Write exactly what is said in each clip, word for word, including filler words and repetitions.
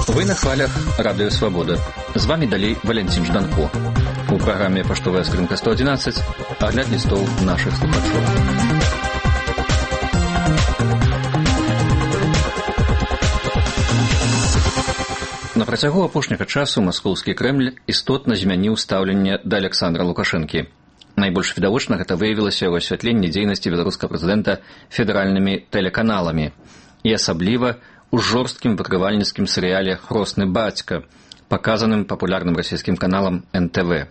Вы на хвалях Радио Свобода. З вами далей Валентин Жданко. У праграме «Паштовая скрынка сто одиннадцать» агляд лістоў нашых слухачоў. На працягу апошняга часу маскоўскі Крэмль істотна змяніў стаўленне да Александра Лукашэнкі. Найбольш відавочна гэта выявілася ў асвятленні дзейнасці беларускага прэзідэнта федэральнымі тэлеканаламі і асабліва у жорсткім выкрывальніцкім серыяле «Хросны бацька», паказаным папулярным расійскім каналам эн тэ вэ.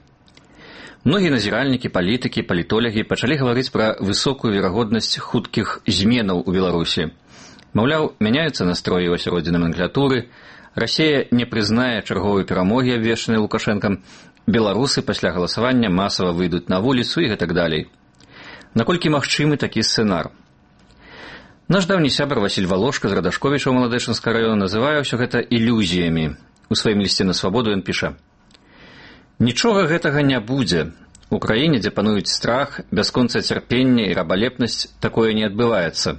Многія назіральнікі, палітыкі, палітолягі пачалі гаварыць пра высокую верагоднасць хуткіх зменаў у Беларусі. Маўляў, мяняюцца настроі ў асяроддзі наменклатуры, Расія не прызнае чарговай перамогі, абвешчанай Лукашэнкам, беларусы пасля галасавання масава выйдуць на вуліцу і гэтак далей. Наколькі магчымы такі сцэнар? Наш даўні сябар Васіль Валошка з Радашковіча ў Маладэчынскага раёна называе ўсё гэта ілюзіямі. У сваім лісце на свабоду ён піша: «Нічога гэтага не будзе. У краіне, дзе пануюць страх, бясконцае цярпенне і рабалепнасць, такое не адбываецца.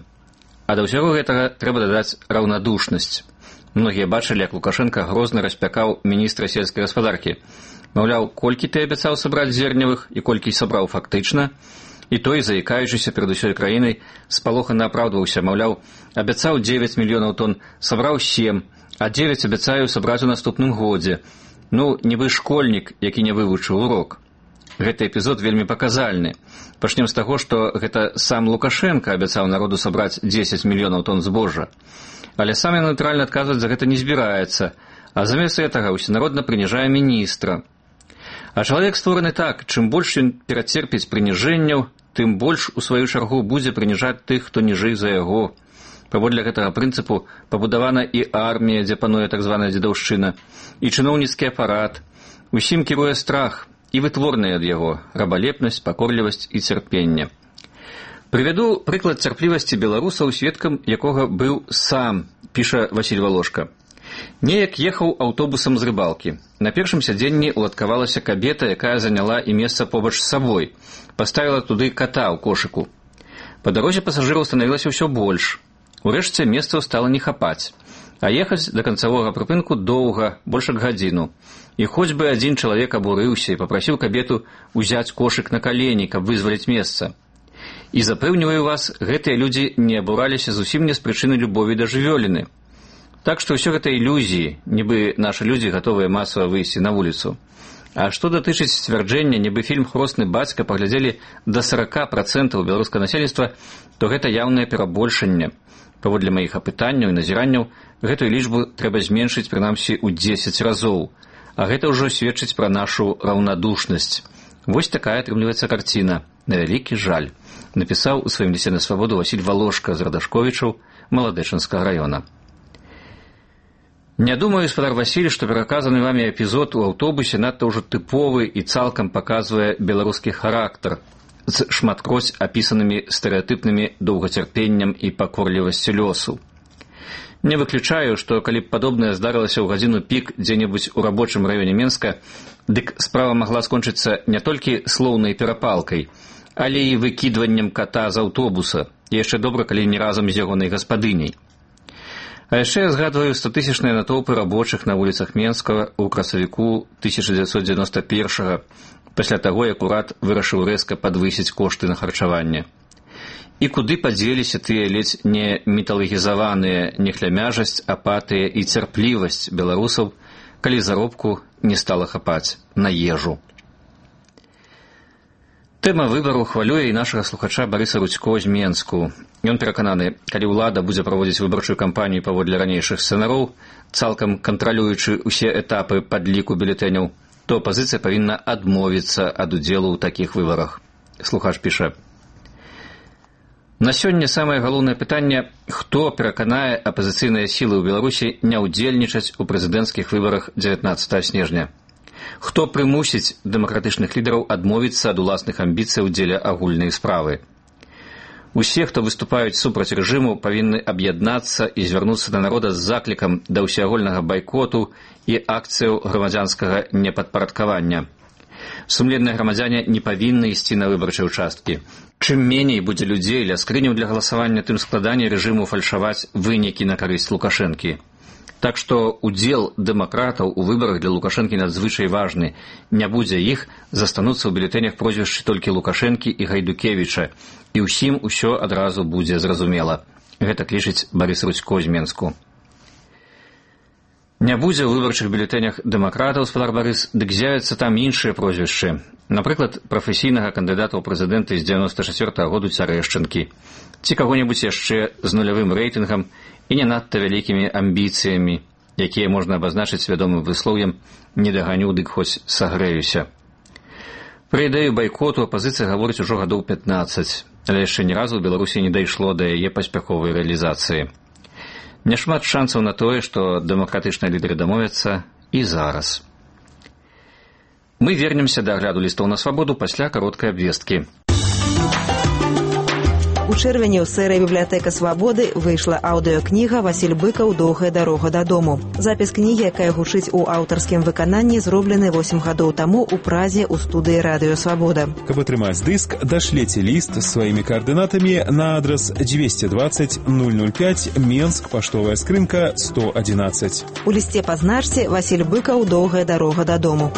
А да ўсяго гэтага трэба дадаць раўнадушнасць. Многія бачылі, як Лукашенко грозна распякаў міністра сельскай гаспадаркі. Маўляў, колькі ты абяцаў сабраць зерневых і колькі сабраў фактычна? І той, заікаючыся перад усёй краінай, спалохана апраўдваўся, маўляў, абяцаў дзевяць мільёнаў тонн, сабраў сем, а дзевяць абяцаю сабраць у наступным годзе. Ну, нібы школьнік, які не вывучыў урок». Гэты эпізод вельмі паказальны. Пачнем з таго, што гэта сам Лукашенко абяцаў народу сабраць дзесяць мільёнаў тонн збожжа. Але сам ён натуральна адказваць за гэта не збіраецца, а замест гэтага усенародна прыніжае міністра. А чалавек створаны так, чым больш ён перацерпіць прыніжэнняў, тым больш у сваю чаргу будзе прыніжаць тых, хто ніжэй за яго. Паводле гэтага прынцыпу пабудавана і армія, дзе пануе так званая дзедаўшчына, і чыноўніцкі апарат. Усім кіруе страх і вытворныя ад яго рабалепнасць, пакорлівасць і цярпенне. Прывяду прыклад цярплівасці беларусаў, сведкам якога быў сам, піша Васіль Валошка. Неяк ехаў аўтобусам з рыбалкі. На першым сядзенні уладкавалася кабета, якая заняла і месца побач з сабой. Паставіла туды ката ў кошыку. Па дарозе пасажыраў станавілася ўсё больш. Урэшце месцаў стала не хапаць. А ехаць да канцавога прыпынку доўга, больш як гадзіну. І хоць бы адзін чалавек абурыўся і папрасіў кабету ўзяць кошык на калені, каб вызваліць месца. І запэўніваю вас, гэтыя людзі не абураліся зусім не з прычыны любові да жывёліны. Так што ўсё гэта ілюзіі, нібы нашы людзі гатовыя масава выйсці на вуліцу. А што датычыць сцвярджэння, нібы фільм «Хросны бацька» паглядзелі да сорок процентаў беларускага насельніцтва, то гэта яўнае перабольшанне. Паводле маіх апытанняў і назіранняў, гэтую лічбу трэба зменшыць прынамсі ў дзесяць разоў. А гэта ўжо сведчыць пра нашу раўнадушнасць. Вось такая атрымліваецца карціна. На вялікі жаль. Напісаў у сваім лісце на свабоду Васіль Валошка з Радашковічаў Маладэчынскага раёна. Не думаю, гаспадар Васіль, што пераказаны вамі эпізод у аўтобусе надта ўжо тыповы і цалкам паказвае беларускі характар з шматкроць апісанымі стэрэатыпнымі доўгацярпеннем і пакорлівасцю лёсу. Не выключаю, што калі б падобнае здарылася ў гадзіну пік дзе-небудзь у рабочым раёне Менска, дык справа магла скончыцца не толькі слоўнай перапалкай, але і выкідваннем ката з аўтобуса, і яшчэ добра, калі не разам з ягонай гаспадыняй. А яшчэ я згадваю статысячныя натоўпы рабочых на вуліцах Менскага ў красавіку тысяча дзевяцьсот дзевяноста першага, пасля таго, як урад вырашыў рэзка падвысіць кошты на харчаванне. І куды падзеліся тыя ледзь не міталагізаваныя нехлямяжасць, апатыя і цярплівасць беларусаў, калі заробку не стала хапаць на ежу. Тэма выбару хвалюе і нашага слухача Барыса Рудзько з Менску. Ён перакананы, калі ўлада будзе праводзіць выбарчую кампанію паводле ранейшых сцэнароў, цалкам кантралюючы ўсе этапы падліку бюлетэняў, то апазіцыя павінна адмовіцца ад удзелу ў такіх выбарах. Слухач піша: «На сёння самае галоўнае пытанне, хто пераканае апазіцыйныя сілы ў Беларусі не ўдзельнічаць у прэзідэнцкіх выбарах дзевятнаццатага снежня. Хто прымусіць дэмакратычных лідараў адмовіцца ад уласных амбіцый у дзеле агульнай справы. Усе, хто выступаюць супраць рэжыму, павінны аб'яднацца і звярнуцца да народа з заклікам да ўсеагульнага байкоту і акцыяў грамадзянскага непадпарадкавання. Сумленныя грамадзяне не павінны ісці на выбарчыя ўчасткі. Чым меней будзе людзей ля скрыняў для галасавання, тым складаней рэжыму фальшаваць вынікі на карысць Лукашэнкі. Так што удзел дэмакратаў у выбарах для Лукашэнкі надзвычай важны. Не будзе іх, застануцца ў бюлетэнях прозвішчы толькі Лукашэнкі і Гайдукевіча, і ўсім усё адразу будзе зразумела. Гэта лічыць Барыс Рудзько з Менску. Не будзе ў выбарчых бюлетэнях дэмакратаў, спадар Барыс, дык з'явяцца там іншыя прозвішчы. Напрыклад, прафесійнага кандыдата ў прэзідэнты з дзевяноста чацвёртага году Цярэшчынкі, ці каго-небудзь яшчэ з нулявым рэйтынгам і не надта вялікімі амбіцыямі, якія можна абазначыць свядомым выслоўем «не даганю, дык хоць сагрэюся». Пра ідэю байкоту апазіцыя гаворыць ужо гадоў пятнаццаць, але яшчэ ні разу ў Беларусі не дайшло да яе паспяховай рэалізацыі. Няшмат шансаў на тое, што дэмакратычныя лідары дамовяцца і зараз. Мы вернемся да агляду лістоў на свабоду пасля кароткай абвесткі. У чэрвені ў серыі «Бібліятэка свабоды» выйшла аўдыёкніга «Васіль Быкаў. Доўгая дарога дадому». Запіс кнігі, якая гучыць у аўтарскім выкананні, зроблены восем гадоў таму ў Празе ў студыі «Радыё Свабода». Каб атрымаць дыск, дашлеце ліст з сваімі каардынатамі на адрас двести двадцать ноль ноль пять, Менск, паштовая скрынка сто одиннадцать. У лісце пазначце «Васіль Быкаў. Доўгая дарога дадому».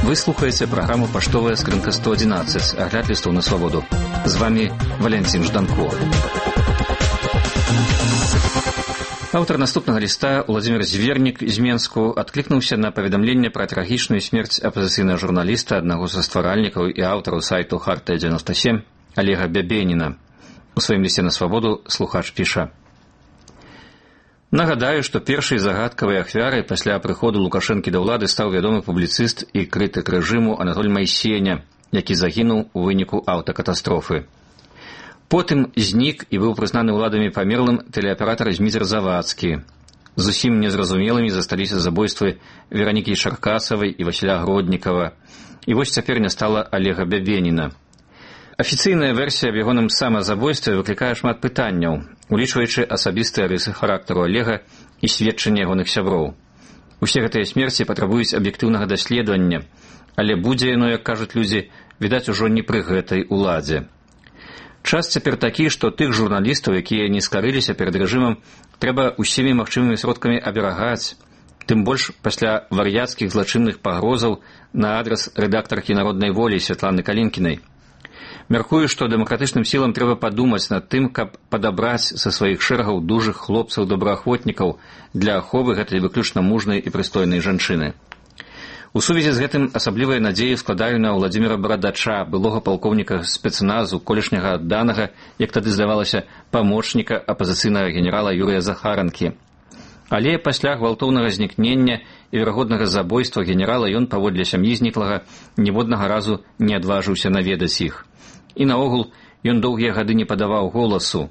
Вы слухаеце праграму «Паштовая скрынка сто одиннадцать», агляд лістоў на свабоду. З вами Валянцін Жданко. Аўтар наступнага ліста, Уладзімір Звернік з Менску, адклікнуўся на паведамленне пра трагічную смерць апазіцыйнага журналіста, аднаго са стваральнікаў і аўтараў сайту «Хартыя дзевяноста сем» Олега Бябеніна. У сваім лісце на свабоду слухач піша: Нагадаю, што першай загадкавай ахвярай пасля прыходу Лукашэнкі да ўлады стаў вядомы публіцыст і крытык рэжыму Анатоль Майсеня, які загінуў у выніку аўтакатастрофы. Потым знік і быў прызнаны ўладамі памерлым тэлеаператар Зміцер Завадскі. Зусім незразумелымі засталіся забойствы Веранікі Чаркасавай і Васіля Гроднікава. І вось цяпер не стала Олега Бябеніна. Афіцыйная версія аб ягоным самазабойстве выклікае шмат пытанняў, улічваючы асабістыя рысы характару Олега і сведчанне ягоных сяброў. Усе гэтыя смерці патрабуюць аб'ектыўнага даследавання, але будзе яно, як кажуць людзі, відаць ужо не пры гэтай уладзе. Час цяпер такі, што тых журналістаў, якія не скарыліся перад рэжымам, трэба усімі магчымымі сродкамі аберагаць, тым больш пасля вар'яцкіх злачынных пагрозаў на адрас рэдактаркі «Народнай волі» Святланы Калінкінай. Мяркую, што дэмакратычным сілам трэба падумаць над тым, каб падабраць са сваіх шэрагаў дужых хлопцаў-добраахвотнікаў для аховы гэтай выключна мужнай і прыстойнай жанчыны. У сувязі з гэтым асаблівыя надзеі складаю на Уладзіміра Барадача, былога палкоўніка спецназу, колішняга адданага, як тады здавалася, памочніка апазіцыйнага генерала Юрыя Захаранкі. Але пасля гвалтоўнага знікнення і верагоднага забойства генерала ён паводле сям'і зніклага ніводнага разу не адважыўся наведаць іх. І наогул ён доўгія гады не падаваў голасу.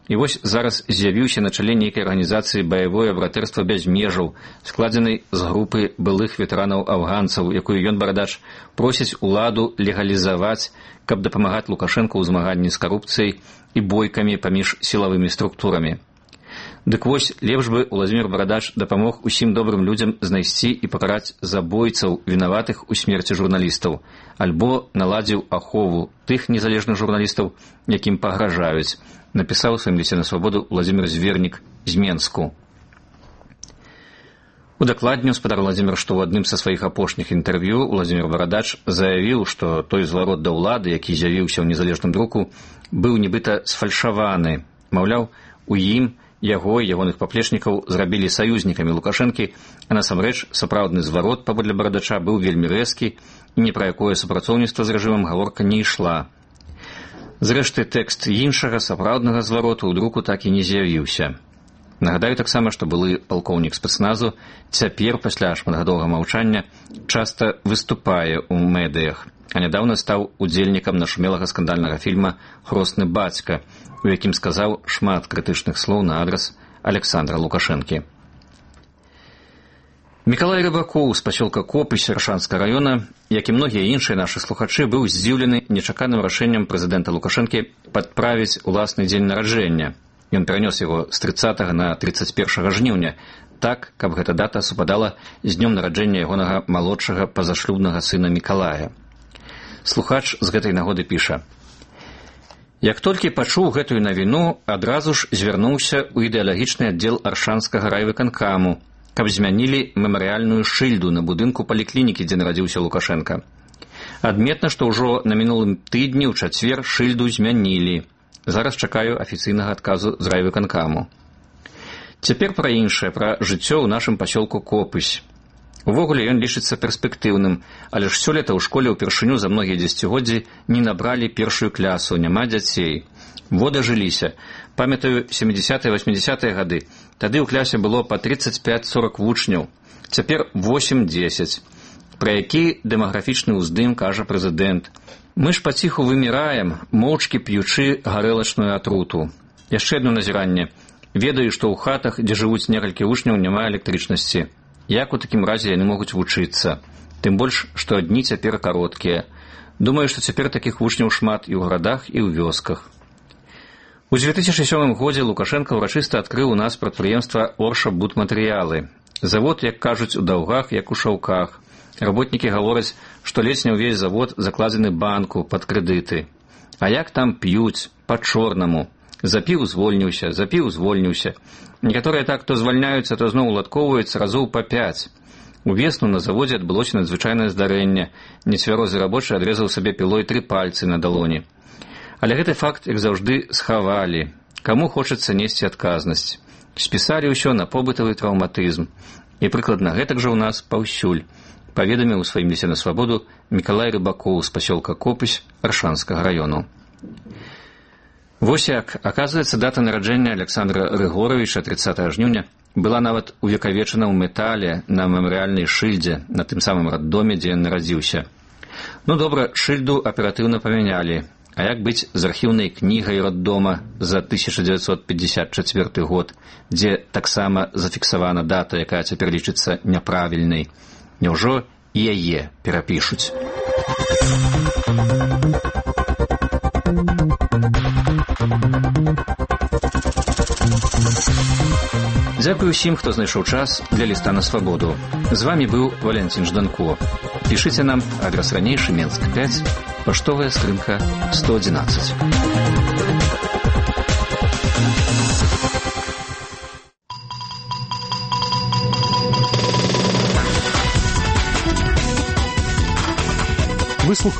І вось зараз з'явіўся на чале нейкай арганізацыі «Баявое братэрства без межаў», складзенай з групы былых ветэранаў-афганцаў, якую ён, Барадач, просіць уладу легалізаваць, каб дапамагаць Лукашэнку ў змаганні з карупцыяй і бойкамі паміж сілавымі структурамі. Дык вось, лепш бы Уладзімір Барадач дапамог усім добрым людзям знайсці і пакараць забойцаў, вінаватых у смерці журналістаў, альбо наладзіў ахову тых незалежных журналістаў, якім пагражаюць, напісаў у сваім лісце на свабоду Уладзімір Звернік з Менску. Удакладніў спадар Уладзімір, што ў адным са сваіх апошніх інтэрв'ю Уладзімір Барадач заявіў, што той зварот да ўлады, які з'явіўся ў незалежным друку, быў нібыта сфальшаваны. Маўляў, у ім яго і ягоных паплечнікаў зрабілі саюзнікамі Лукашэнкі, а насамрэч сапраўдны зварот, паводле Барадача, быў вельмі рэзкі, і ні пра якое супрацоўніцтва з рэжымам гаворка не ішла. Зрэшты, тэкст іншага сапраўднага звароту ў друку так і не з'явіўся. Нагадаю таксама, што былы палкоўнік спецназу цяпер, пасля шматгадовага маўчання, часта выступае ў медыях, а нядаўна стаў удзельнікам нашумелага скандальнага фільма «Хросны бацька», у якім сказаў шмат крытычных слоў на адрас Александра Лукашэнкі. Мікалай Рыбакоў з пасёлка Копысь Аршанскага раёна, як і многія іншыя нашы слухачы, быў здзіўлены нечаканым рашэннем прэзідэнта Лукашэнкі падправіць уласны дзень нараджэння. Ён перанёс яго з трыццатага на трыццаць першага жніўня, так, каб гэта дата супадала з днём нараджэння ягонага малодшага пазашлюбнага сына Мікалая. Слухач з гэтай нагоды піша: «Як толькі пачуў гэтую навіну, адразу ж звярнуўся ў ідэалагічны аддзел Аршанскага райвыканкаму, каб змянілі мемарыяльную шыльду на будынку паліклінікі, дзе нарадзіўся Лукашенка. Адметна, што ўжо на мінулым тыдні ў чацвер шыльду змянілі. Зараз чакаю афіцыйнага адказу з райвыканкаму». Цяпер пра іншае, пра жыццё ў нашым пасёлку Копысь. Увогуле ён лічыцца перспектыўным, але ж сёлета ў школе ўпершыню за многія дзесяцігоддзі не набралі першую клясу, няма дзяцей. Во дажыліся. Памятаю, сямідзесятыя-васьмідзесятыя гады. Тады ў клясе было па трыццаць пяць сорак вучняў. Цяпер восем-дзесяць. Пра які дэмаграфічны ўздым кажа прэзідэнт. Мы ж паціху выміраем, моўчкі п'ючы гарэлачную атруту. Яшчэ адно назіранне. Ведаю, што ў хатах, дзе жывуць некалькі вучняў, няма электрычнасці. Як у такім разе яны могуць вучыцца? Тым больш, што дні цяпер кароткія. Думаю, што цяпер такіх вучняў шмат і ў гарадах, і ў вёсках. У дзве тысячы сёмым годзе Лукашенко ўрачыста адкрыў у нас прадпрыемства «Орша Будматэрыялы». Завод, як кажуць, у даўгах, як у шаўках. Работнікі гавораць, што ледзь не ўвесь завод закладзены банку пад крэдыты. А як там п'юць, па-чорнаму. Запіў, звольніўся, запіў, звольніўся. Некаторыя так то звальняюцца, то зноў уладкоўваюцца разоў па пяць. Увесну на заводзе адбылося надзвычайнае здарэнне. Нецвярозы рабочы адрэзаў сабе пілой тры пальцы на далоні. Але гэты факт, як заўжды, схавалі. Каму хочацца несці адказнасць. Спісалі ўсё на побытавы траўматызм. І прыкладна гэтак жа ў нас паўсюль. Паведаміў у сваім лісце на свабоду Мікалай Рыбакоў з пасёлка Копысь Аршанскага раёну. Вось як, аказваецца, дата нараджэння Александра Рыгоровича трыццатага жніўня была нават увекавечана ў метале на мемарыяльнай шыльдзе на тым самым раддоме, дзе ён нарадзіўся. Ну добра, шыльду аператыўна памянялі. А як быць з архіўнай кнігай раддома за тысяча дзевяцьсот пятьдесят четвёрты год, дзе таксама зафіксавана дата, якая цяпер лічыцца няправільнай? Няўжо і яе перапішуць? Дзякую ўсім, хто знайшоў час для ліста на свабоду. З вамі быў Валентин Жданко. Пішыце нам, адрас ранейшы, Менск пяць, паштовая скрынка сто одиннадцать. Выслух